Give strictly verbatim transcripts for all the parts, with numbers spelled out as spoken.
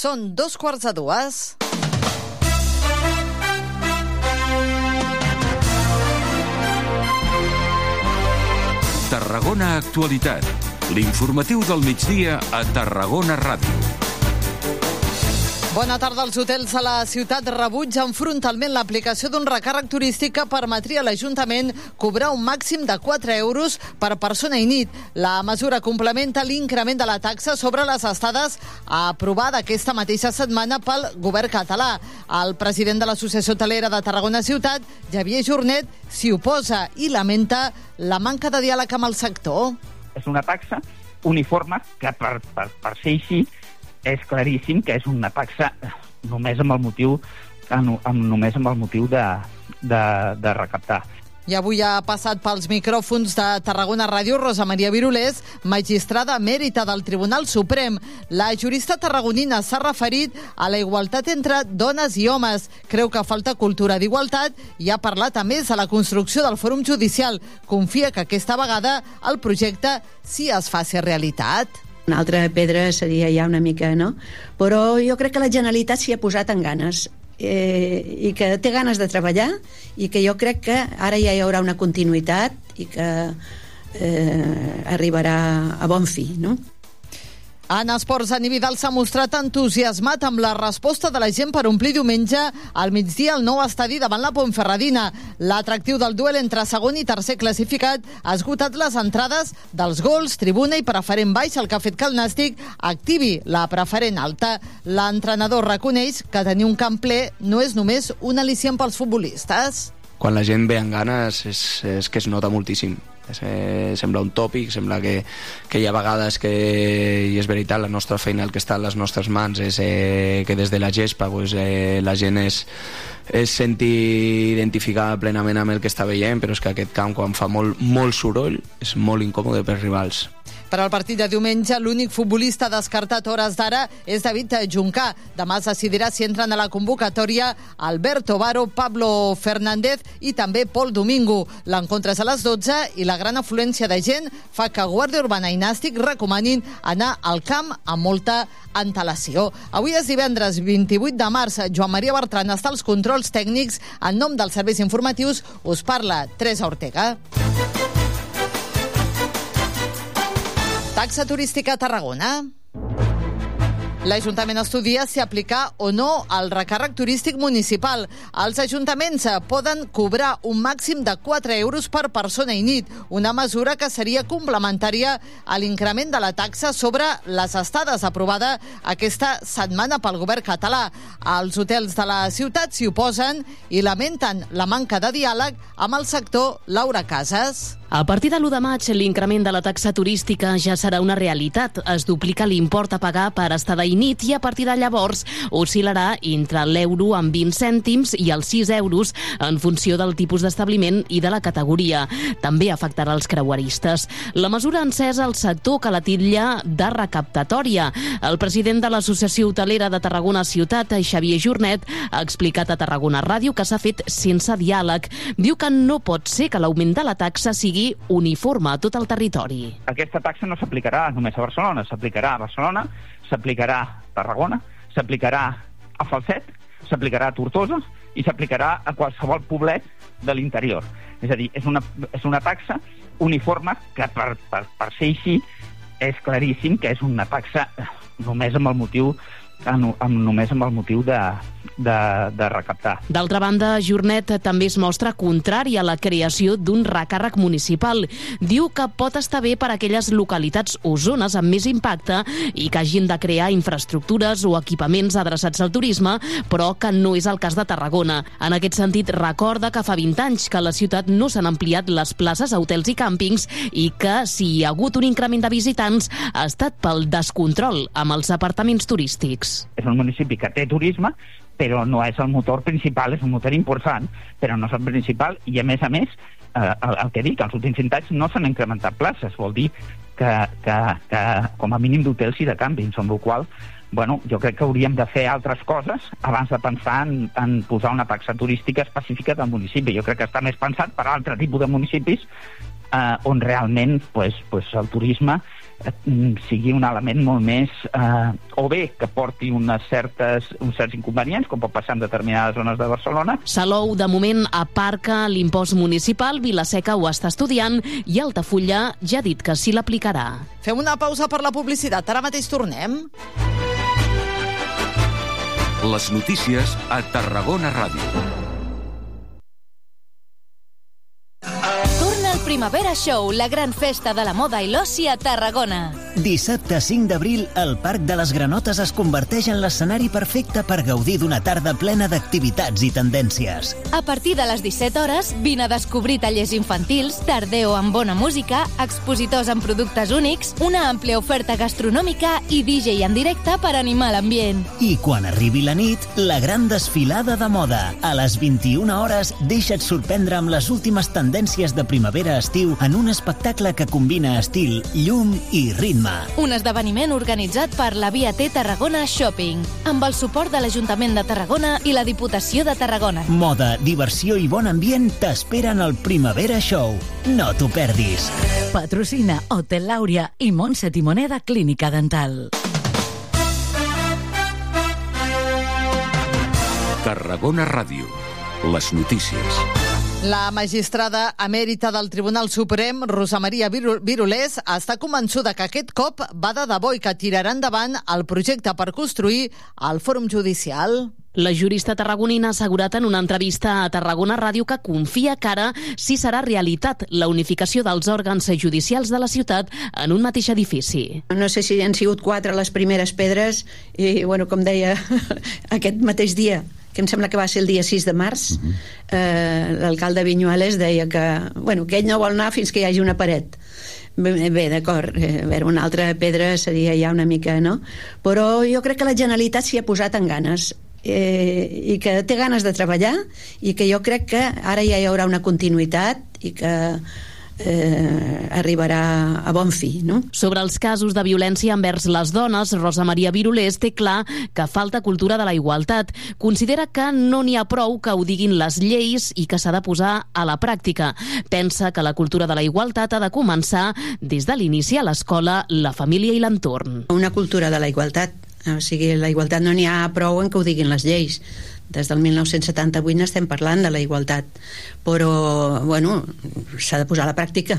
Són dos quarts de dues. Tarragona Actualitat, l'informatiu del migdia a Tarragona Ràdio. Bona tarda. Els hotels a la ciutat rebutgen frontalment l'aplicació d'un recàrrec turístic que permetria a l'Ajuntament cobrar un màxim de quatre euros per persona i nit. La mesura complementa l'increment de la taxa sobre les estades aprovada aquesta mateixa setmana pel govern català. El president de l'Associació Hotelera de Tarragona Ciutat, Xavier Jornet, s'hi oposa i lamenta la manca de diàleg amb el sector. És una taxa uniforme que per, per, per ser així és claríssim que és una taxa només amb el motiu, amb, només amb el motiu de, de, de recaptar. I avui ha passat pels micròfons de Tarragona Ràdio Rosa Maria Virulés, magistrada emèrita del Tribunal Suprem. La jurista tarragonina s'ha referit a la igualtat entre dones i homes. Creu que falta cultura d'igualtat i ha parlat a més de la construcció del Fòrum Judicial. Confia que aquesta vegada el projecte sí es faci realitat. Una altra pedra seria ja una mica, no? Però jo crec que la Generalitat s'hi ha posat en ganes eh, i que té ganes de treballar i que jo crec que ara ja hi haurà una continuïtat i que eh, arribarà a bon fi, no? En esports, Dani Vidal s'ha mostrat entusiasmat amb la resposta de la gent per omplir diumenge al migdia el nou estadi davant la Ponferradina. L'atractiu del duel entre segon i tercer classificat ha esgotat les entrades dels gols, tribuna i preferent baix, el que ha fet que el Nàstic activi la preferent alta. L'entrenador reconeix que tenir un camp ple no és només un al·licient pels futbolistes. Quan la gent ve amb ganes és, és que es nota moltíssim. Eh, sembla un tòpic, sembla que, que hi ha vegades que, i és veritat, la nostra feina, el que està a les nostres mans és eh, que des de la gespa pues, eh, la gent es, es senti identificada plenament amb el que està veient, però és que aquest camp, quan fa molt, molt soroll, és molt incòmode per rivals. Per al partit de diumenge, l'únic futbolista descartat a hores d'ara és David Juncà. Demà es decidirà si entren a la convocatòria Alberto Baro, Pablo Fernández i també Pol Domingo. L'encontre és a les dotze i la gran afluència de gent fa que Guàrdia Urbana i Nàstic recomanin anar al camp amb molta antelació. Avui és divendres vint-i-vuit de març. Joan Maria Bertran està als controls tècnics. En nom dels serveis informatius us parla Teresa Ortega. Taxa turística a Tarragona. L'Ajuntament estudia si aplicar o no el recàrrec turístic municipal. Els ajuntaments poden cobrar un màxim de quatre euros per persona i nit, una mesura que seria complementària a l'increment de la taxa sobre les estades aprovada aquesta setmana pel govern català. Els hotels de la ciutat s'hi oposen i lamenten la manca de diàleg amb el sector. Laura Casas. A partir de l'u de maig, l'increment de la taxa turística ja serà una realitat. Es duplica l'import a pagar per estada i nit i a partir de llavors oscil·larà entre l'euro amb vint cèntims i els sis euros en funció del tipus d'establiment i de la categoria. També afectarà els creueristes. La mesura ha encès el sector que la titlla de recaptatòria. El president de l'Associació Hotelera de Tarragona Ciutat, Xavier Jornet, ha explicat a Tarragona Ràdio que s'ha fet sense diàleg. Diu que no pot ser que l'augment de la taxa sigui uniforme a tot el territori. Aquesta taxa no s'aplicarà només a Barcelona, s'aplicarà a Barcelona, s'aplicarà a Tarragona, s'aplicarà a Falset, s'aplicarà a Tortosa i s'aplicarà a qualsevol poblet de l'interior. És a dir, és una, és una taxa uniforme que per, per, per ser així és claríssim que és una taxa només amb el motiu amb, amb, només amb el motiu de, de, de recaptar. D'altra banda, Jornet també es mostra contrari a la creació d'un recàrrec municipal. Diu que pot estar bé per a aquelles localitats o zones amb més impacte i que hagin de crear infraestructures o equipaments adreçats al turisme, però que no és el cas de Tarragona. En aquest sentit, recorda que fa vint anys que a la ciutat no s'han ampliat les places a hotels i càmpings i que si hi ha hagut un increment de visitants ha estat pel descontrol amb els apartaments turístics. És un municipi que té turisme, però no és el motor principal, és un motor important, però no és el principal, i a més a més, eh, el, el que dic, els últims cinc anys no s'han incrementat places, vol dir que, que, que com a mínim d'hotels i de càmpings, amb la qual bueno, jo crec que hauríem de fer altres coses abans de pensar en, en posar una taxa turística específica del municipi. Jo crec que està més pensat per altre tipus de municipis eh, on realment pues, pues, el turisme sigui un element molt més, eh, o bé que porti unes certes, uns certs inconvenients, com pot passar en determinades zones de Barcelona. Salou, de moment, aparca l'impost municipal, Vila-seca ho està estudiant i Altafulla ja ha dit que sí l'aplicarà. Fem una pausa per la publicitat, ara mateix tornem. Les notícies a Tarragona Ràdio. Torna el Primavera Show, la gran festa de la moda i l'oci a Tarragona. Dissabte cinc d'abril, el Parc de les Granotes es converteix en l'escenari perfecte per gaudir d'una tarda plena d'activitats i tendències. A partir de les disset hores, vine a descobrir tallers infantils, tardeo amb bona música, expositors amb productes únics, una àmplia oferta gastronòmica i D J en directe per animar l'ambient. I quan arribi la nit, la gran desfilada de moda. A les vint-i-una hores, deixa't sorprendre amb les últimes tendències de primavera-estiu en un espectacle que combina estil, llum i ritme. Un esdeveniment organitzat per la Via T Tarragona Shopping, amb el suport de l'Ajuntament de Tarragona i la Diputació de Tarragona. Moda, diversió i bon ambient t'esperen al Primavera Show. No t'ho perdis. Patrocina Hotel Làuria i Montse Timoneda Clínica Dental. Tarragona Ràdio. Les notícies. La magistrada emèrita del Tribunal Suprem, Rosa Maria Virulés, està convençuda que aquest cop va de debò i que tirarà endavant el projecte per construir el Fòrum Judicial. La jurista tarragonina ha assegurat en una entrevista a Tarragona Ràdio que confia que ara sí serà realitat la unificació dels òrgans judicials de la ciutat en un mateix edifici. No sé si han sigut quatre les primeres pedres i, bueno, com deia, aquest mateix dia, que em sembla que va ser el dia sis de març, uh-huh. eh, l'alcalde Viñuales deia que, bueno, que ell no vol anar fins que hi hagi una paret. Bé, bé d'acord, eh, a veure, una altra pedra seria ja una mica, no? Però jo crec que la Generalitat s'hi ha posat en ganes, eh, i que té ganes de treballar, i que jo crec que ara ja hi haurà una continuïtat i que Eh, arribarà a bon fi, no? Sobre els casos de violència envers les dones, Rosa Maria Virulés té clar que falta cultura de la igualtat. Considera que no n'hi ha prou que ho diguin les lleis i que s'ha de posar a la pràctica. Pensa que la cultura de la igualtat ha de començar des de l'inici a l'escola, la família i l'entorn. Una cultura de la igualtat. O sigui, la igualtat no n'hi ha prou en que ho diguin les lleis. Des del mil nou-cents setanta-vuit n'estem parlant de la igualtat, però bueno, s'ha de posar a la pràctica,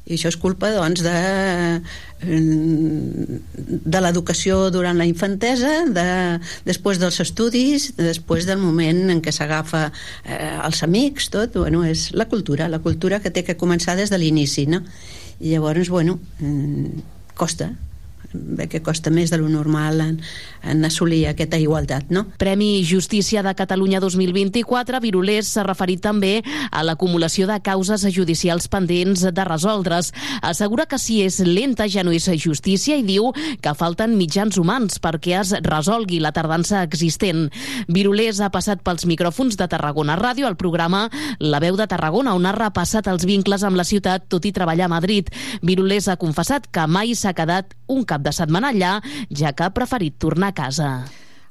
i això és culpa, doncs, de de l'educació durant la infantesa, de, després dels estudis, després del moment en què s'agafa eh, els amics, tot, bueno, és la cultura la cultura que té que començar des de l'inici, no? I llavors, bueno, eh, costa bé que costa més de lo normal en, en assolir aquesta igualtat, no? Premi Justícia de Catalunya dos mil vint-i-quatre, Virulés s'ha referit també a l'acumulació de causes judicials pendents de resoldre's. Assegura que si és lenta ja no és justícia i diu que falten mitjans humans perquè es resolgui la tardança existent. Virulés ha passat pels micròfons de Tarragona Ràdio al programa La Veu de Tarragona, on ha repassat els vincles amb la ciutat tot i treballar a Madrid. Virulés ha confessat que mai s'ha quedat un cap de setmana allà, ja que ha preferit tornar a casa.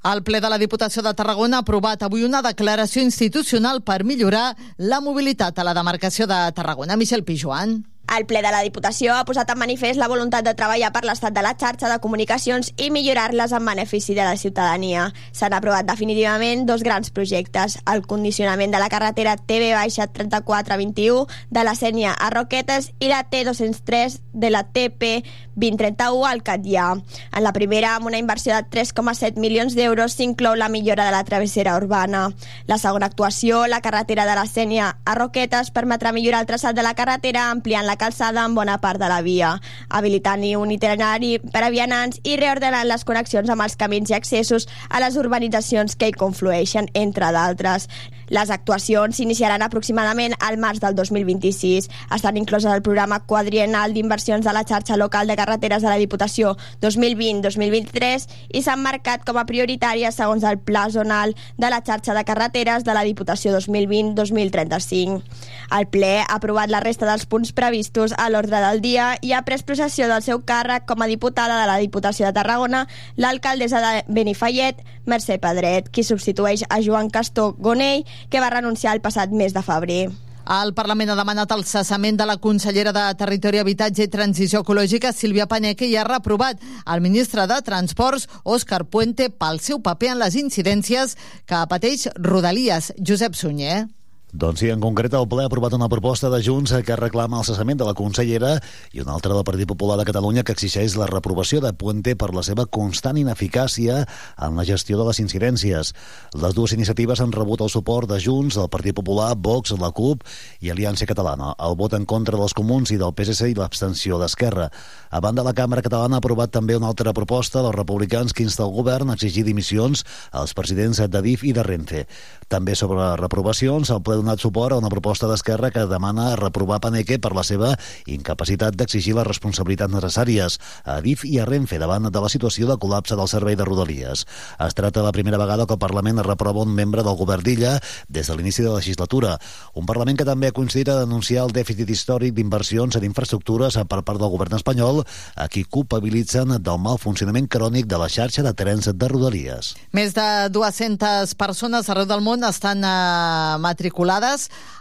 El ple de la Diputació de Tarragona ha aprovat avui una declaració institucional per millorar la mobilitat a la demarcació de Tarragona. Michel Pijuan. El ple de la Diputació ha posat en manifest la voluntat de treballar per l'estat de la xarxa de comunicacions i millorar-les en benefici de la ciutadania. S'han aprovat definitivament dos grans projectes: el condicionament de la carretera T B trenta-quatre vint-i-u de la Sénia a Roquetes i la T dos-cents tres de la T P vint trenta-u al Catllà. En la primera, amb una inversió de tres coma set milions d'euros, s'inclou la millora de la travessera urbana. La segona actuació, la carretera de la Sénia a Roquetes, permetrà millorar el traçat de la carretera ampliant la calçada en bona part de la via, habilitant-hi un itinerari per a vianants i reordenant les connexions amb els camins i accessos a les urbanitzacions que hi conflueixen, entre d'altres. Les actuacions s'iniciaran aproximadament al març del dos mil vint-i-sis. Estan incloses al programa quadriennal d'inversions de la xarxa local de carreteres de la Diputació dos mil vint dos mil vint-i-tres i s'han marcat com a prioritàries segons el pla zonal de la xarxa de carreteres de la Diputació dos mil vint dos mil trenta-cinc. El ple ha aprovat la resta dels punts previstos a l'ordre del dia i ha pres possessió del seu càrrec com a diputada de la Diputació de Tarragona l'alcaldessa de Benifallet, Mercè Pedret, qui substitueix a Joan Castor Gonell, que va renunciar el passat mes de febrer. El Parlament ha demanat el cessament de la consellera de Territori, Habitatge i Transició Ecològica, Sílvia Paneque, i ha reprovat el ministre de Transports, Òscar Puente, pel seu paper en les incidències que pateix Rodalies. Josep Sunyer. Doncs sí, en concret el ple ha aprovat una proposta de Junts que reclama el cessament de la consellera i una altra del Partit Popular de Catalunya que exigeix la reprovació de Puente per la seva constant ineficàcia en la gestió de les incidències. Les dues iniciatives han rebut el suport de Junts, el Partit Popular, Vox, la CUP i Aliança Catalana. El vot en contra dels comuns i del P S C i l'abstenció d'Esquerra. A banda, la Càmera Catalana ha aprovat també una altra proposta dels republicans que insta el govern a exigir dimissions als presidents d'Adif i de Renfe. També sobre reprovacions, el ple ha donat suport a una proposta d'Esquerra que demana reprovar Paneque per la seva incapacitat d'exigir les responsabilitats necessàries a Adif i a Renfe davant de la situació de col·lapse del servei de Rodalies. Es tracta de la primera vegada que el Parlament reprova un membre del govern d'Illa des de l'inici de la legislatura. Un Parlament que també ha coincidit a denunciar el dèficit històric d'inversions en infraestructures per part del govern espanyol, a qui culpabilitzen del mal funcionament crònic de la xarxa de trens de Rodalies. Més de dues-centes persones arreu del món estan eh, matriculades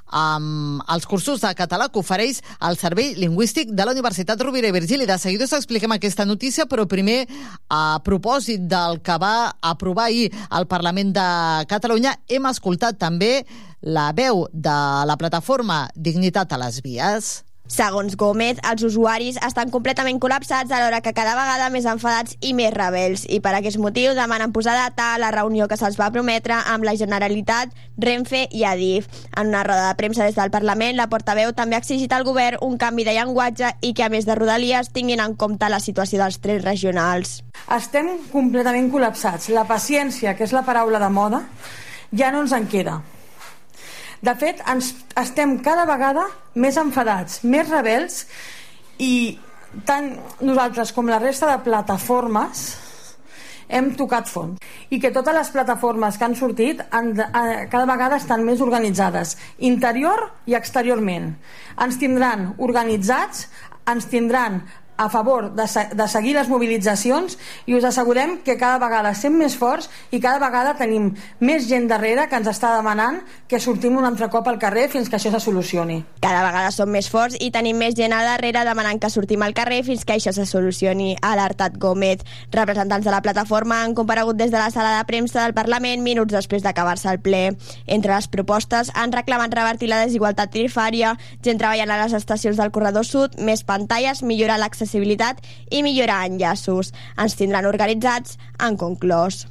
amb els cursos de català que ofereix el Servei Lingüístic de la Universitat Rovira i Virgili. De seguida us expliquem aquesta notícia, però primer, a propòsit del que va aprovar ahir el Parlament de Catalunya, hem escoltat també la veu de la plataforma Dignitat a les Vies. Segons Gómez, els usuaris estan completament col·lapsats alhora que cada vegada més enfadats i més rebels, i per aquest motiu demanen posar data a la reunió que se'ls va prometre amb la Generalitat, Renfe i Adif. En una roda de premsa des del Parlament, la portaveu també ha exigit al govern un canvi de llenguatge i que, a més de Rodalies, tinguin en compte la situació dels trens regionals. Estem completament col·lapsats. La paciència, que és la paraula de moda, ja no ens en queda. De fet, ens estem cada vegada més enfadats, més rebels, i tant nosaltres com la resta de plataformes hem tocat fons. I que totes les plataformes que han sortit han, cada vegada estan més organitzades, interior i exteriorment. Ens tindran organitzats, ens tindran a favor de, de seguir les mobilitzacions, i us assegurem que cada vegada estem més forts i cada vegada tenim més gent darrere que ens està demanant que sortim un altre cop al carrer fins que això se solucioni. Cada vegada som més forts i tenim més gent a darrere demanant que sortim al carrer fins que això se solucioni, ha alertat Gómez. Representants de la plataforma han comparegut des de la sala de premsa del Parlament minuts després d'acabar-se el ple. Entre les propostes han reclamat revertir la desigualtat tarifària, gent treballant a les estacions del corredor sud, més pantalles, millorar l'accessibilitat i millorar enllaços. Ens tindran organitzats, han conclòs.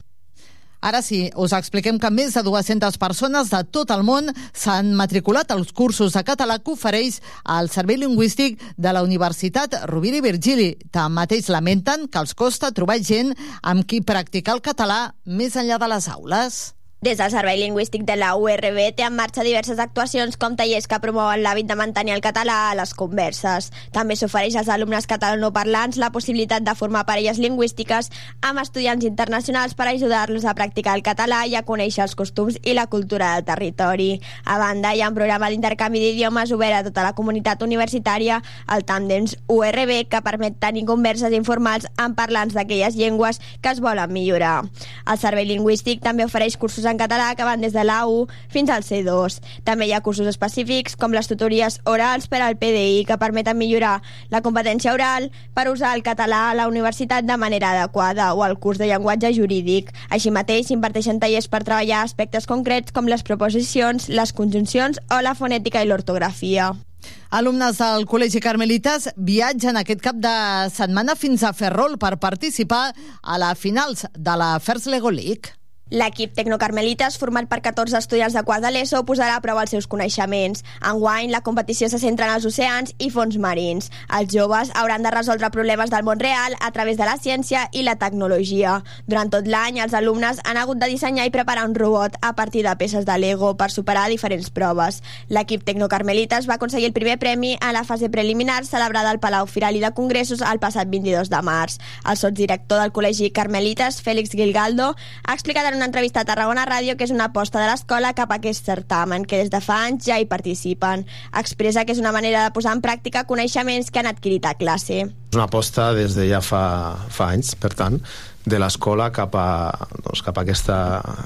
Ara sí, us expliquem que més de dues-centes persones de tot el món s'han matriculat als cursos de català que ofereix el Servei Lingüístic de la Universitat Rovira i Virgili. Tanmateix lamenten que els costa trobar gent amb qui practicar el català més enllà de les aules. Des del Servei Lingüístic de la U R B té en marxa diverses actuacions com tallers que promouen l'hàbit de mantenir el català a les converses. També s'ofereix als alumnes catalanoparlants la possibilitat de formar parelles lingüístiques amb estudiants internacionals per ajudar-los a practicar el català i a conèixer els costums i la cultura del territori. A banda, hi ha un programa d'intercanvi d'idiomes obert a tota la comunitat universitària, el Tàndems U R B, que permet tenir converses informals amb parlants d'aquelles llengües que es volen millorar. El Servei Lingüístic també ofereix cursos en català que van des de l'A u fins al C dos. També hi ha cursos específics com les tutories orals per al P D I que permeten millorar la competència oral per usar el català a la universitat de manera adequada, o el curs de llenguatge jurídic. Així mateix s'imparteixen tallers per treballar aspectes concrets com les preposicions, les conjuncions o la fonètica i l'ortografia. Alumnes del Col·legi Carmelites viatgen aquest cap de setmana fins a Ferrol per participar a la finals de la First Lego League. L'equip Tecnocarmelites, format per catorze estudiants de quart de l'ESO, posarà a prova els seus coneixements. Enguany, la competició se centra en els oceans i fons marins. Els joves hauran de resoldre problemes del món real a través de la ciència i la tecnologia. Durant tot l'any, els alumnes han hagut de dissenyar i preparar un robot a partir de peces de Lego per superar diferents proves. L'equip Tecnocarmelites va aconseguir el primer premi a la fase preliminar celebrada al Palau Firali de Congressos el passat vint-i-dos de març. El sotsdirector del Col·legi Carmelites, Félix Gilgaldo, ha explicat en una entrevista a Tarragona Ràdio que és una aposta de l'escola cap a aquest certamen, que des de fa anys ja hi participen. Expressa que és una manera de posar en pràctica coneixements que han adquirit a classe. És una aposta des de ja fa, fa anys, per tant, de l'escola cap a, doncs, cap a aquesta,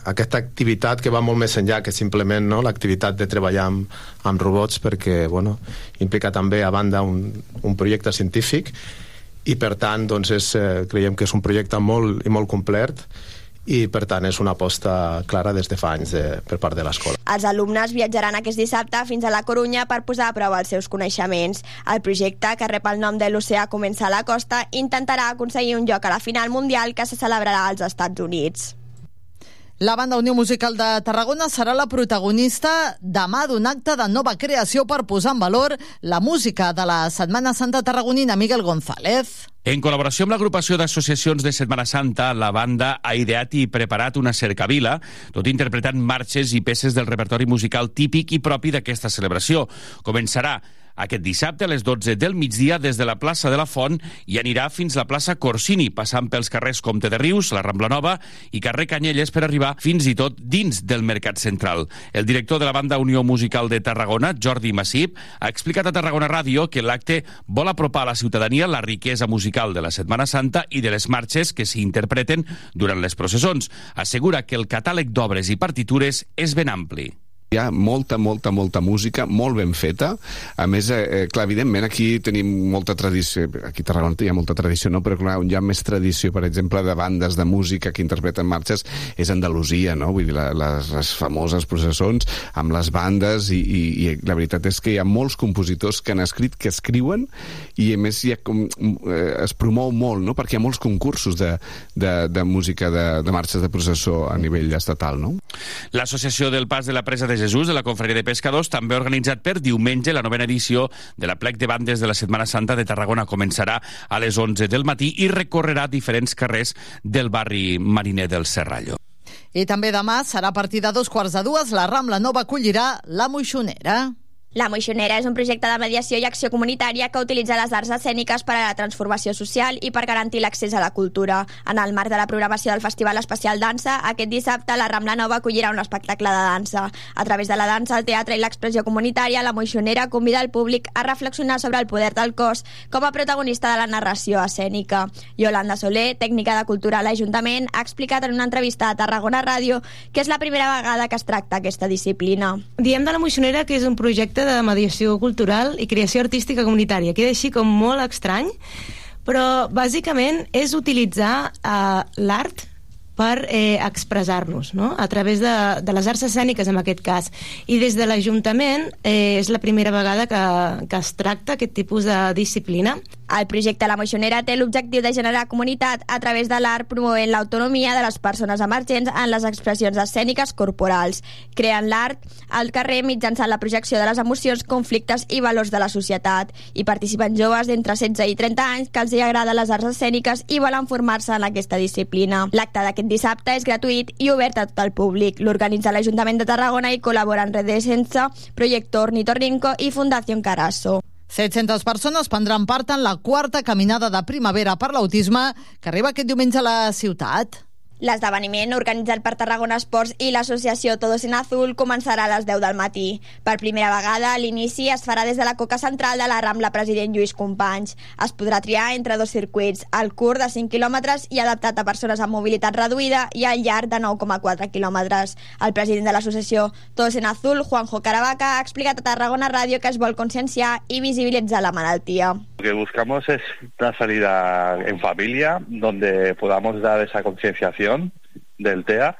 aquesta activitat que va molt més enllà que simplement, no, l'activitat de treballar amb, amb robots, perquè bueno, implica també a banda un, un projecte científic i per tant doncs és, eh, creiem que és un projecte molt i molt complet i per tant és una aposta clara des de fa anys de, per part de l'escola. Els alumnes viatjaran aquest dissabte fins a la Corunya per posar a prova els seus coneixements. El projecte, que rep el nom de l'Oceà comença a la costa, intentarà aconseguir un lloc a la final mundial que se celebrarà als Estats Units. La Banda Unió Musical de Tarragona serà la protagonista demà d'un acte de nova creació per posar en valor la música de la Setmana Santa tarragonina. Miguel González. En col·laboració amb l'agrupació d'associacions de Setmana Santa, la banda ha ideat i preparat una cercavila, tot interpretant marxes i peces del repertori musical típic i propi d'aquesta celebració. Començarà aquest dissabte a les dotze del migdia des de la plaça de la Font i anirà fins a la plaça Corsini, passant pels carrers Comte de Rius, la Rambla Nova i carrer Canyelles per arribar fins i tot dins del Mercat Central. El director de la Banda Unió Musical de Tarragona, Jordi Massip, ha explicat a Tarragona Ràdio que l'acte vol apropar a la ciutadania la riquesa musical de la Setmana Santa i de les marxes que s'hi interpreten durant les processons. Assegura que el catàleg d'obres i partitures és ben ampli. Hi ha molta, molta, molta música, molt ben feta. A més, eh, clar, evidentment, aquí tenim molta tradició. Aquí a Tarragona hi ha molta tradició, no? Però clar, on hi ha més tradició, per exemple, de bandes de música que interpreten marxes, és Andalusia, no? Vull dir, la, les, les famoses processons amb les bandes i, i, i la veritat és que hi ha molts compositors que han escrit, que escriuen, i a més hi ha com, eh, es promou molt, no? Perquè hi ha molts concursos de, de, de música de, de marxes de processó a nivell estatal, no? L'Associació del Pas de la Presa de Jesús de la Confraria de Pescadors també ha organitzat per diumenge la novena edició de la Plec de Bandes de la Setmana Santa de Tarragona. Començarà a les onze del matí i recorrerà diferents carrers del barri mariner del Serrallo. I també demà serà a partir de dos quarts de dues. La Rambla Nova acollirà la Moixonera. La Moixonera és un projecte de mediació i acció comunitària que utilitza les arts escèniques per a la transformació social i per garantir l'accés a la cultura. En el marc de la programació del Festival Especial Dansa, aquest dissabte la Rambla Nova acollirà un espectacle de dansa. A través de la dansa, el teatre i l'expressió comunitària, la Moixonera convida el públic a reflexionar sobre el poder del cos com a protagonista de la narració escènica. Yolanda Soler, tècnica de cultura a l'Ajuntament, ha explicat en una entrevista a Tarragona Ràdio que és la primera vegada que es tracta aquesta disciplina. Diem de la Moixonera que és un projecte de mediació cultural i creació artística comunitària. Queda així com molt estrany, però bàsicament és utilitzar eh, l'art per eh, expressar-nos, no? A través de, de les arts escèniques, en aquest cas. I des de l'Ajuntament eh, és la primera vegada que, que es tracta aquest tipus de disciplina. El projecte La Moixonera té l'objectiu de generar comunitat a través de l'art, promovent l'autonomia de les persones emergents en les expressions escèniques corporals, creant l'art al carrer mitjançant la projecció de les emocions, conflictes i valors de la societat. Hi participen joves d'entre setze i trenta anys que els hi agraden les arts escèniques i volen formar-se en aquesta disciplina. L'acte d'aquest dissabte és gratuït i obert a tot el públic. L'organitza l'Ajuntament de Tarragona i col·laboren Redesensa, Proyecto Ornitorrinco i Fundació Carasso. set-centes persones prendran part en la quarta caminada de primavera per l'autisme que arriba aquest diumenge a la ciutat. L'esdeveniment, organitzat per Tarragona Esports i l'associació Todos en Azul, començarà a les deu del matí. Per primera vegada, l'inici es farà des de la coca central de la Rambla President Lluís Companys. Es podrà triar entre dos circuits, el curt de cinc quilòmetres i adaptat a persones amb mobilitat reduïda i el llarg de nou coma quatre quilòmetres. El president de l'associació Todos en Azul, Juanjo Caravaca, ha explicat a Tarragona Ràdio que es vol conscienciar i visibilitzar la malaltia. Lo que buscamos es una salida en familia donde podamos dar esa concienciación del T E A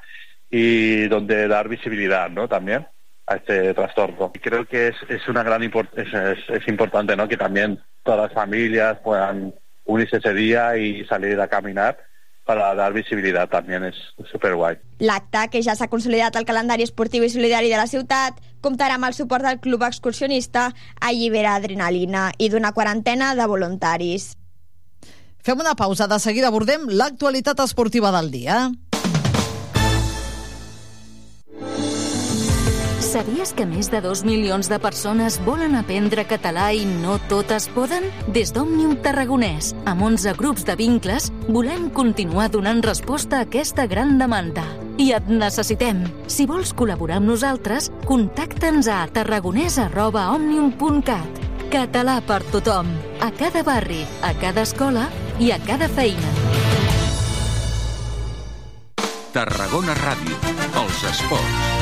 y donde dar visibilidad, ¿no? También a este trastorno. Creo que es, es una gran import- es, es, es importante, ¿no? Que también todas las familias puedan unirse ese día y salir a caminar para dar visibilitat, també és superguai. L'acte, que ja s'ha consolidat al calendari esportiu i solidari de la ciutat, comptarà amb el suport del Club Excursionista Allibera Adrenalina i d'una quarantena de voluntaris. Fem una pausa, de seguida abordem l'actualitat esportiva del dia. Sabies que més de dos milions de persones volen aprendre català i no totes poden? Des d'Òmnium Tarragonès, amb onze grups de vincles, volem continuar donant resposta a aquesta gran demanda. I et necessitem. Si vols col·laborar amb nosaltres, contacta'ns a tarragonès arroba òmnium punt cat. Català per tothom, a cada barri, a cada escola i a cada feina. Tarragona Ràdio. Els esports.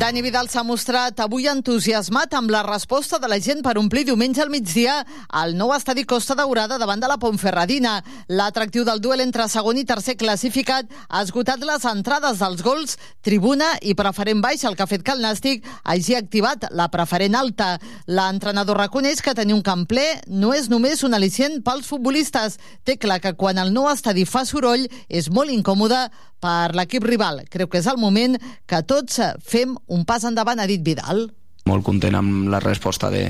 Dani Vidal s'ha mostrat avui entusiasmat amb la resposta de la gent per omplir diumenge al migdia al nou estadi Costa Daurada davant de la Ponferradina. L'atractiu del duel entre segon i tercer classificat ha esgotat les entrades dels gols tribuna i preferent baix, el que ha fet que el Nàstic hagi activat la preferent alta. L'entrenador reconeix que tenir un camp ple no és només un al·licient pels futbolistes. Té clar que quan el nou estadi fa soroll és molt incòmode per l'equip rival. Creu que és el moment que tots fem un pas endavant, ha dit Vidal. Molt content amb la resposta de,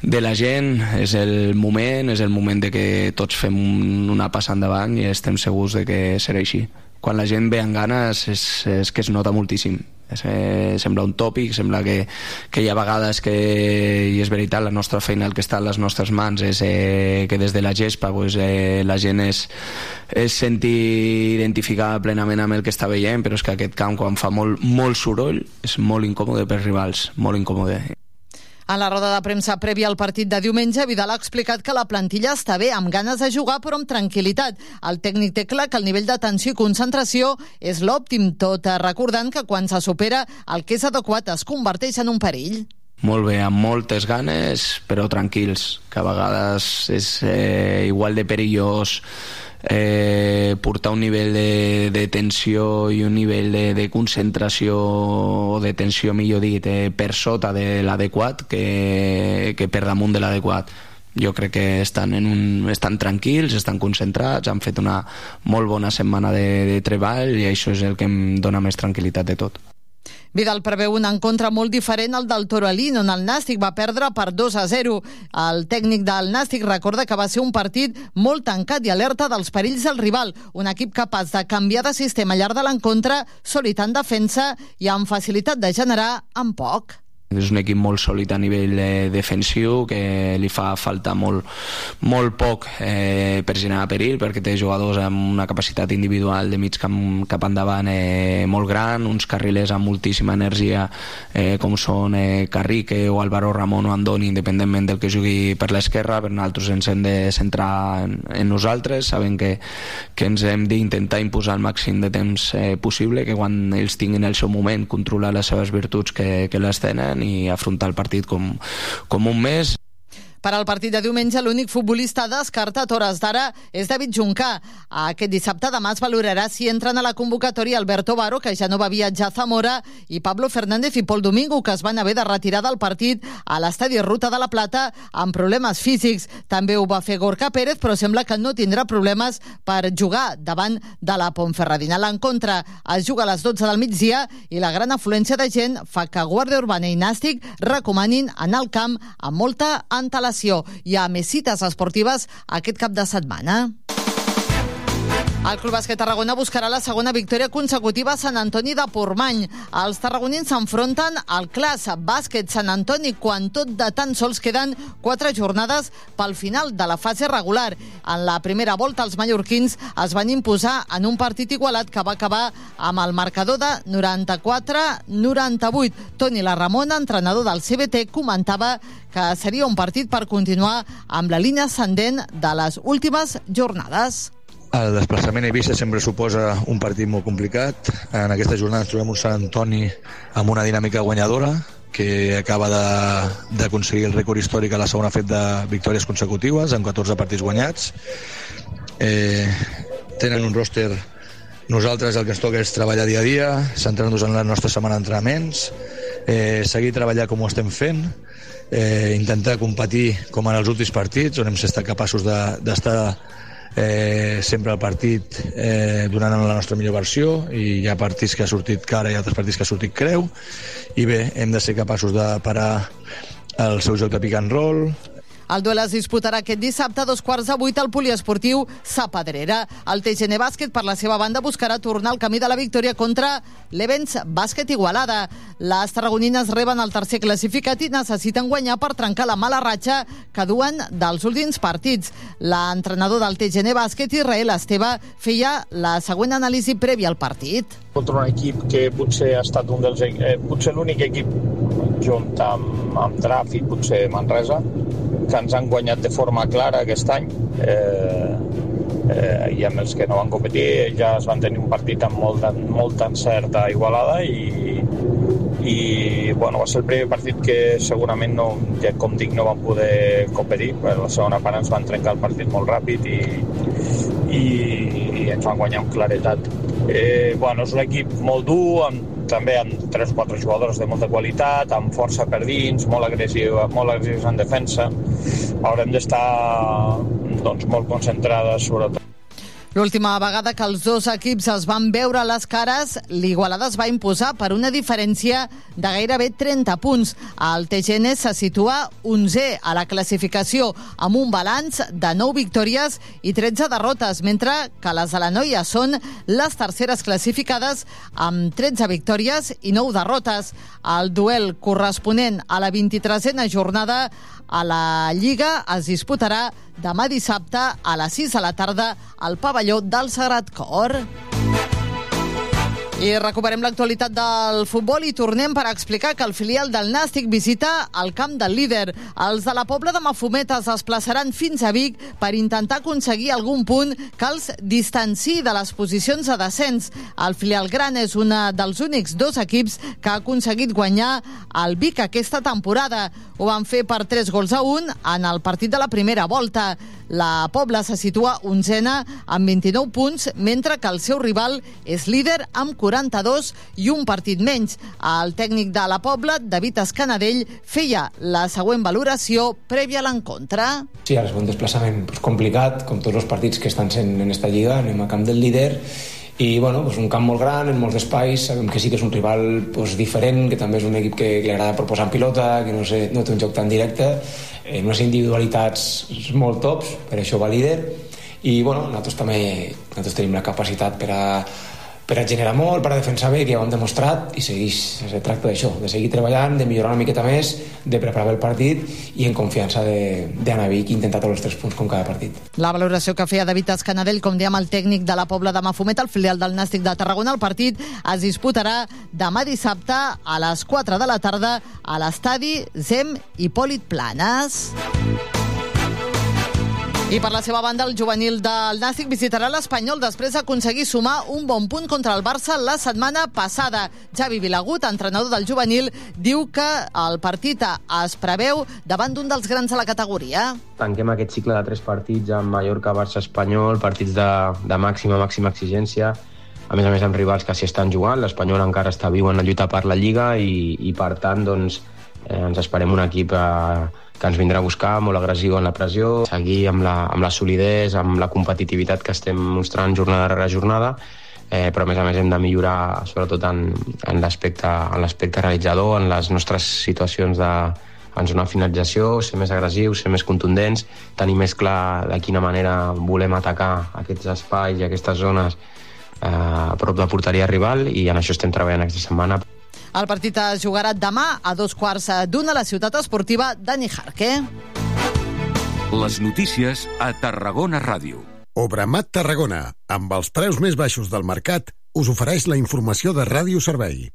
de la gent, és el moment, és el moment de que tots fem una passa endavant i estem segurs de que serà així. Quan la gent ve amb ganes és, és que es nota moltíssim. És, eh, sembla un tòpic, sembla que, que hi ha vegades que, i és veritat, la nostra feina, el que està a les nostres mans és eh, que des de la gespa pues, eh, la gent es, es senti identificada plenament amb el que està veient, però és que aquest camp quan fa molt, molt soroll és molt incòmode per rivals, molt incòmode. A la roda de premsa prèvia al partit de diumenge, Vidal ha explicat que la plantilla està bé, amb ganes de jugar, però amb tranquil·litat. El tècnic té clar que el nivell d'atenció i concentració és l'òptim, tot recordant que quan se supera el que és adequat es converteix en un perill. Molt bé, amb moltes ganes, però tranquils, que a vegades és eh, igual de perillós eh, portar un nivell de, de tensió i un nivell de, de concentració o de tensió, millor dit, eh, per sota de l'adequat que, que per damunt de l'adequat. Jo crec que estan, en un, estan tranquils, estan concentrats, han fet una molt bona setmana de, de treball i això és el que em dona més tranquil·litat de tot. Vidal preveu un encontre molt diferent al del Toralín, on el Nàstic va perdre per dos a zero. El tècnic del Nàstic recorda que va ser un partit molt tancat i alerta dels perills del rival, un equip capaç de canviar de sistema al llarg de l'encontre, sòlid en defensa i amb facilitat de generar amb poc. És un equip molt sòlid a nivell eh, defensiu, que li fa falta molt, molt poc eh, per generar perill, perquè té jugadors amb una capacitat individual de mig camp cap endavant eh, molt gran, uns carrilers amb moltíssima energia eh, com són eh, Carrique o Álvaro Ramon o Andoni, independentment del que jugui per l'esquerra. Per nosaltres ens hem de centrar en, en nosaltres, sabent que, que ens hem d'intentar imposar el màxim de temps eh, possible, que quan ells tinguin el seu moment controlar les seves virtuts que, que les tenen i afrontar el partit com, com un mes. Per al partit de diumenge, l'únic futbolista descartat a hores d'ara és David Juncà. Aquest dissabte demà es valorarà si entren a la convocatòria Alberto Baro, que ja no va viatjar a Zamora, i Pablo Fernández i Pol Domingo, que es van haver de retirar del partit a l'estadi Ruta de la Plata amb problemes físics. També ho va fer Gorka Pérez, però sembla que no tindrà problemes per jugar davant de la Ponferradina. L'encontre es juga a les dotze del migdia i la gran afluència de gent fa que Guàrdia Urbana i Nàstic recomanin anar al camp amb molta antelació. Hi ha més cites esportives aquest cap de setmana. El Club Bàsquet Tarragona buscarà la segona victòria consecutiva a Sant Antoni de Portmany. Els tarragonins s'enfronten al Clas Bàsquet Sant Antoni quan tot de tan sols queden quatre jornades pel final de la fase regular. En la primera volta els mallorquins es van imposar en un partit igualat que va acabar amb el marcador de noranta-quatre a noranta-vuit. Toni Larramona, entrenador del C B T, comentava que seria un partit per continuar amb la línia ascendent de les últimes jornades. El desplaçament a Eivissa sempre suposa un partit molt complicat. En aquesta jornada ens trobem un Sant Antoni amb una dinàmica guanyadora que acaba d'aconseguir el rècord històric a la segona fet de victòries consecutives amb catorze partits guanyats. Eh, tenen un roster. Nosaltres el que ens toca és treballar dia a dia, centrar-nos en la nostra setmana d'entrenaments, eh, seguir treballant com ho estem fent, eh, intentar competir com en els últims partits, on hem estat capaços d'estar de, Eh, sempre el partit eh, donant la nostra millor versió, i hi ha partits que ha sortit cara i altres partits que ha sortit creu, i bé, hem de ser capaços de parar el seu joc de pick and roll. El duel es disputarà aquest dissabte a dos quarts de vuit al poliesportiu Sa Pedrera. El T G N Bàsquet, per la seva banda, buscarà tornar al camí de la victòria contra l'Evens Bàsquet Igualada. Les tarragonines reben el tercer classificat i necessiten guanyar per trencar la mala ratxa que duen dels últims partits. L'entrenador del T G N Bàsquet, Israel Esteve, feia la següent anàlisi prèvia al partit. Contra un equip que potser ha estat un dels, eh, potser l'únic equip junt amb, amb Traf i potser Manresa que ens han guanyat de forma clara aquest any. Eh, eh, i amb els que no van competir ja es van tenir un partit amb molt, molt encert a Igualada i, i bueno, va ser el primer partit que segurament no, ja com dic, no van poder competir, però la segona part ens van trencar el partit molt ràpid i, i, i ens van guanyar amb claretat. Eh, bueno, és un equip molt dur, amb, també amb tres o quatre jugadors de molta qualitat, amb força per dins, molt agressiu, molt agressius en defensa. Haurem d'estar doncs, molt concentrades, sobretot. L'última vegada que els dos equips es van veure a les cares, l'Igualada es va imposar per una diferència de gairebé trenta punts. El T G N se situa onzè a la classificació amb un balanç de nou victòries i tretze derrotes, mentre que les de la noia són les terceres classificades amb tretze victòries i nou derrotes. El duel corresponent a la vint-i-tresena jornada a la Lliga es disputarà demà dissabte a les sis de la tarda al pavelló del Sagrat Cor. I recuperem l'actualitat del futbol i tornem per explicar que el filial del Nàstic visita el camp del líder. Els de la Pobla de Mafumet es desplaçaran fins a Vic per intentar aconseguir algun punt que els distanciï de les posicions de descens. El filial gran és un dels únics dos equips que ha aconseguit guanyar el Vic aquesta temporada. Ho van fer per tres gols a un en el partit de la primera volta. La Pobla se situa onzena amb vint-i-nou punts, mentre que el seu rival és líder amb quaranta-dos i un partit menys. El tècnic de la Pobla, David Escanadell, feia la següent valoració prèvia a l'encontre. Sí, ara és un desplaçament pues, complicat, com tots els partits que estan sent en esta lliga, anem a camp del líder, i bueno, pues un camp molt gran, en molts espais, sabem que sí que és un rival pues, diferent, que també és un equip que, que li agrada proposar en pilota, que no, sé, no té un joc tan directe, en unes individualitats molt tops, per això va líder, i bueno, nosaltres també nosaltres tenim la capacitat per a, per a generar molt, per a defensar bé, que ja ho hem demostrat, i segueix, es tracta d'això, de seguir treballant, de millorar una miqueta més, de preparar el partit i en confiança d'anar a Vic i intentar tots els tres punts com cada partit. La valoració que feia David Escanadell, com dèiem, el tècnic de la Pobla de Mafumet, el filial del Nàstic de Tarragona. El partit es disputarà demà dissabte a les quatre de la tarda a l'estadi Zem Hipòlit Planes. I per la seva banda, el juvenil del Nàstic visitarà l'Espanyol després d'aconseguir sumar un bon punt contra el Barça la setmana passada. Javi Vilagut, entrenador del juvenil, diu que el partit es preveu davant d'un dels grans de la categoria. Tanquem aquest cicle de tres partits amb Mallorca, Barça, Espanyol, partits de, de màxima, màxima exigència, a més a més amb rivals que s'hi estan jugant. L'Espanyol encara està viu en la lluita per la Lliga i, i per tant, doncs, eh, ens esperem un equip eh, que ens vindrà a buscar, molt agressiu en la pressió, seguir amb la, amb la solidesa, amb la competitivitat que estem mostrant jornada rere jornada, eh, però a més a més hem de millorar sobretot en, en l'aspecte realitzador, en les nostres situacions de, en zona de finalització, ser més agressius, ser més contundents, tenir més clar de quina manera volem atacar aquests espais i aquestes zones eh, a prop de porteria rival, i en això estem treballant aquesta setmana. El partit es jugarà demà a dos quarts d'una a la ciutat esportiva de Nijarque. Les notícies a Tarragona Ràdio. Obramat Tarragona, amb els preus més baixos del mercat, us ofereix la informació de Ràdio Servei.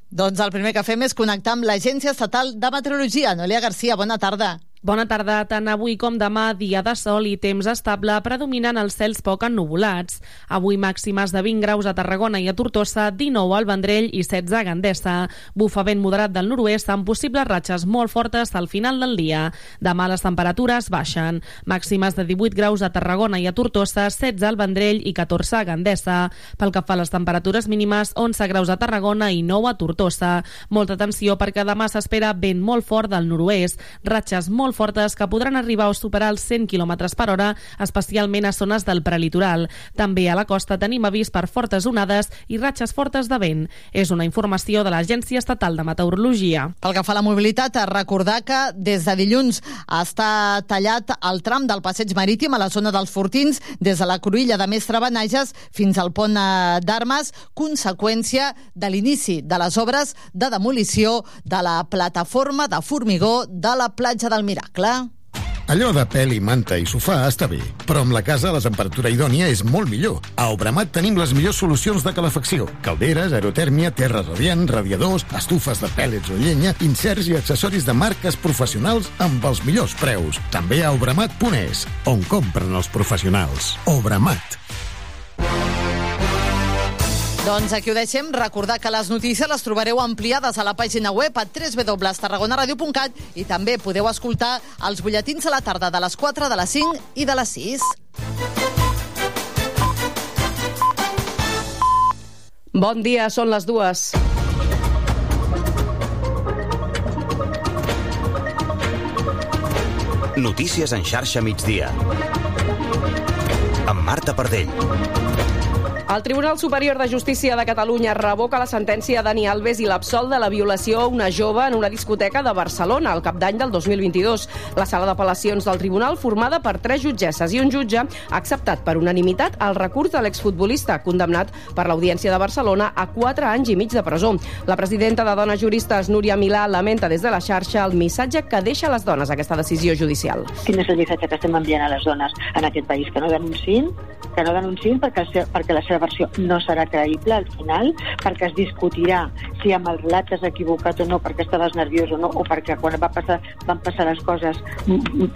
Doncs el primer que fem és connectar amb l'Agència Estatal de Meteorologia. Noelia Garcia, bona tarda. Bona tarda. Tant avui com demà, dia de sol i temps estable, predominant els cels poc ennuvolats. Avui màximes de vint graus a Tarragona i a Tortosa, dinou al Vendrell i setze a Gandesa. Bufa vent moderat del nord-oest amb possibles ratxes molt fortes al final del dia. Demà les temperatures baixen. Màximes de divuit graus a Tarragona i a Tortosa, setze al Vendrell i catorze a Gandesa. Pel que fa a les temperatures mínimes, onze graus a Tarragona i nou a Tortosa. Molta atenció perquè demà s'espera vent molt fort del nord-oest, ratxes molt fortes que podran arribar a superar els cent quilòmetres per hora, especialment a zones del prelitoral. També a la costa tenim avís per fortes onades i ratxes fortes de vent. És una informació de l'Agència Estatal de Meteorologia. Pel que fa a la mobilitat, recordar que des de dilluns està tallat el tram del passeig marítim a la zona dels Fortins, des de la Cruïlla de Mestre Benages fins al pont d'Armes, conseqüència de l'inici de les obres de demolició de la plataforma de formigó de la platja del Miracle. Allò de pèl i manta i sofà està bé, però amb la casa la temperatura idònia és molt millor. A Obramat tenim les millors solucions de calefacció. Calderes, aerotèrmia, terra radiant, radiadors, estufes de pèl·lets o llenya, inserts i accessoris de marques professionals amb els millors preus. També a obramat punt es, on compren els professionals. Obramat. Doncs aquí ho deixem. Recordar que les notícies les trobareu ampliades a la pàgina web a w w w punt tarragona ràdio punt cat i també podeu escoltar els butlletins a la tarda de les quatre, de les cinc i de les sis. Bon dia, són les dues. Notícies en xarxa migdia. Amb Marta Pardell. El Tribunal Superior de Justícia de Catalunya revoca la sentència de Dani Alves i l'absol de la violació a una jove en una discoteca de Barcelona al cap d'any del dos mil vint-i-dos. La sala d'apel·lacions del tribunal, formada per tres jutgesses i un jutge, ha acceptat per unanimitat el recurs de l'exfutbolista, condemnat per l'Audiència de Barcelona a quatre anys i mig de presó. La presidenta de Dones Juristes, Núria Milà, lamenta des de la xarxa el missatge que deixa a les dones aquesta decisió judicial. Quin és el missatge que estem enviant a les dones en aquest país? Que no denunciïn, que no denunciïn perquè, perquè la seva versió no serà creïble al final, perquè es discutirà si amb el relat t'has equivocat o no, perquè estaves nerviós o no, o perquè quan va passar, van passar les coses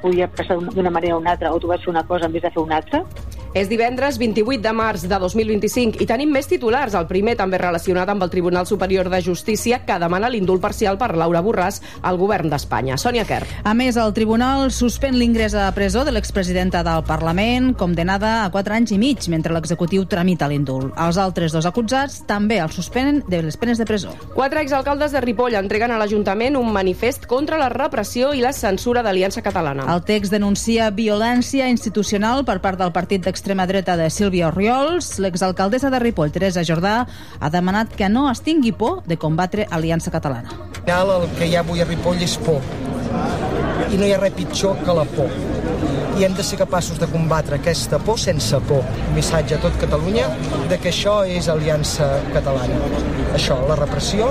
podia passar d'una manera o una altra, o tu vas fer una cosa en vez de fer una altra. És divendres vint-i-vuit de març de dos mil vint-i-cinc i tenim més titulars. El primer també relacionat amb el Tribunal Superior de Justícia, que demana l'indult parcial per Laura Borràs al govern d'Espanya. Sònia Quer. A més, el Tribunal suspèn l'ingrés a presó de l'expresidenta del Parlament, condemnada a quatre anys i mig, mentre l'executiu tramita l'indult. Els altres dos acusats també els suspenen de les penes de presó. Quatre exalcaldes de Ripoll entreguen a l'Ajuntament un manifest contra la repressió i la censura d'Aliança Catalana. El text denuncia violència institucional per part del partit d'extrema dreta de Sílvia Orriols. L'exalcaldessa de Ripoll, Teresa Jordà, ha demanat que no es tingui por de combatre Aliança Catalana. El que hi ha avui a Ripoll és por. I no hi ha res pitjor que la por. I hem de ser capaços de combatre aquesta por sense por. Un missatge a tot Catalunya de que això és Aliança Catalana. Això, la repressió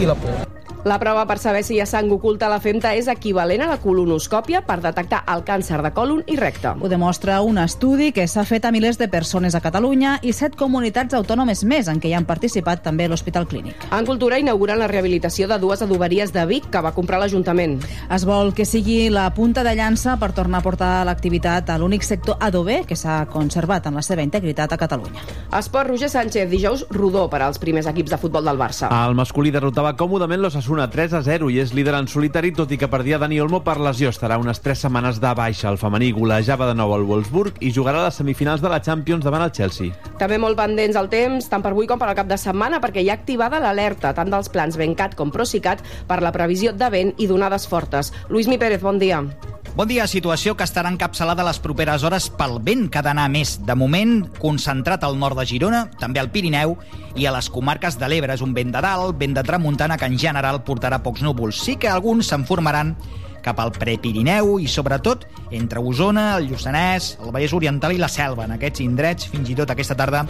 i la por. La prova per saber si hi ha sang oculta a la femta és equivalent a la colonoscòpia per detectar el càncer de còlon i recte. Ho demostra un estudi que s'ha fet a milers de persones a Catalunya i set comunitats autònomes més en què hi han participat també l'Hospital Clínic. En Cultura inauguren la rehabilitació de dues adoberies de Vic que va comprar l'Ajuntament. Es vol que sigui la punta de llança per tornar a portar l'activitat a l'únic sector adober que s'ha conservat en la seva integritat a Catalunya. Esport, Roger Sánchez, dijous rodó per als primers equips de futbol del Barça. El masculí derrotava còmodament l'Osasuna tres a zero i és líder en solitari, tot i que perdia Dani Olmo per lesió. Estarà unes tres setmanes de baixa. El femení golejava de nou al Wolfsburg i jugarà a les semifinals de la Champions davant el Chelsea. També molt pendents al temps, tant per avui com per al cap de setmana, perquè hi ha activada l'alerta tant dels plans Bencat com Procicat per la previsió de vent i d'onades fortes. Luismi Pérez, bon dia. Bon dia, situació que estarà encapçalada les properes hores pel vent que ha d'anar més. De moment, concentrat al nord de Girona, també al Pirineu i a les comarques de l'Ebre. És un vent de dalt, vent de tramuntana, que en general portarà pocs núvols. Sí que alguns se'n formaran cap al Prepirineu i, sobretot, entre Osona, el Lluçanès, el Vallès Oriental i la Selva. En aquests indrets, fins i tot aquesta tarda,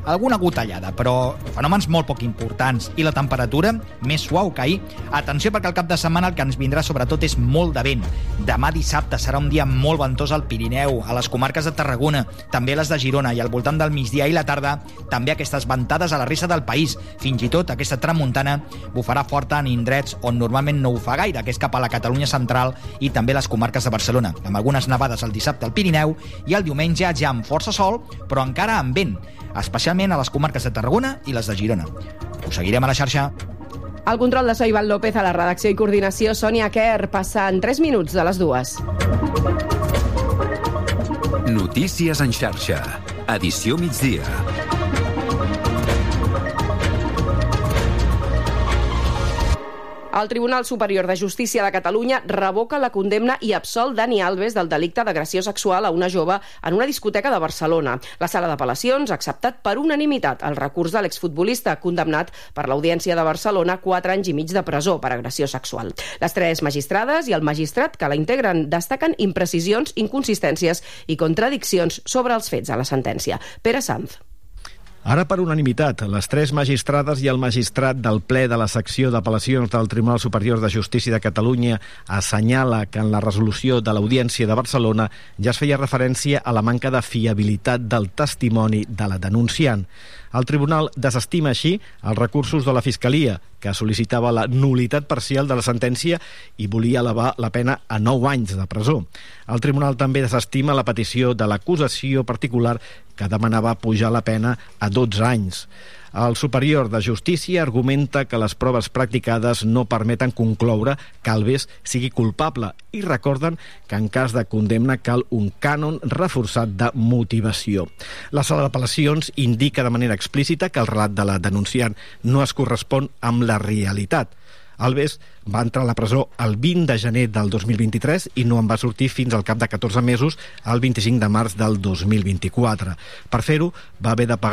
alguna gotellada, però fenòmens molt poc importants. I la temperatura més suau que ahir. Atenció, perquè al cap de setmana el que ens vindrà sobretot és molt de vent. Demà dissabte serà un dia molt ventós al Pirineu, a les comarques de Tarragona, també a les de Girona, i al voltant del migdia i la tarda també aquestes ventades a la resta del país. Fins i tot aquesta tramuntana bufarà forta en indrets on normalment no ho fa gaire, que és cap a la Catalunya central i també les comarques de Barcelona, amb algunes nevades el dissabte al Pirineu i el diumenge ja amb força sol, però encara amb vent, especialment a les comarques de Tarragona i les de Girona. Ho seguirem a la xarxa. El control de so Ivan López, a la redacció i coordinació Sònia Quer, passant tres minuts de les dues. Notícies en xarxa. Edició migdia. El Tribunal Superior de Justícia de Catalunya revoca la condemna i absol Dani Alves del delicte d'agressió sexual a una jove en una discoteca de Barcelona. La sala d'apel·lacions ha acceptat per unanimitat el recurs de l'exfutbolista condemnat per l'Audiència de Barcelona a quatre anys i mig de presó per agressió sexual. Les tres magistrades i el magistrat que la integren destaquen imprecisions, inconsistències i contradiccions sobre els fets a la sentència. Pere Sanz. Ara, per unanimitat, les tres magistrades i el magistrat del ple de la secció d'apel·lacions del Tribunal Superior de Justícia de Catalunya assenyala que en la resolució de l'Audiència de Barcelona ja es feia referència a la manca de fiabilitat del testimoni de la denunciant. El tribunal desestima així els recursos de la Fiscalia, que sol·licitava la nul·litat parcial de la sentència i volia elevar la pena a nou anys de presó. El tribunal també desestima la petició de l'acusació particular, que demanava pujar la pena a dotze anys. El Superior de Justícia argumenta que les proves practicades no permeten concloure que Alves sigui culpable i recorden que en cas de condemna cal un cànon reforçat de motivació. La sala d'apel·lacions indica de manera explícita que el relat de la denunciant no es correspon amb la realitat. Alves va entrar a la presó el vint de gener del dos mil vint-i-tres i no en va sortir fins al cap de catorze mesos, el vint-i-cinc de març del dos mil vint-i-quatre. Per fer-ho, va haver de pagar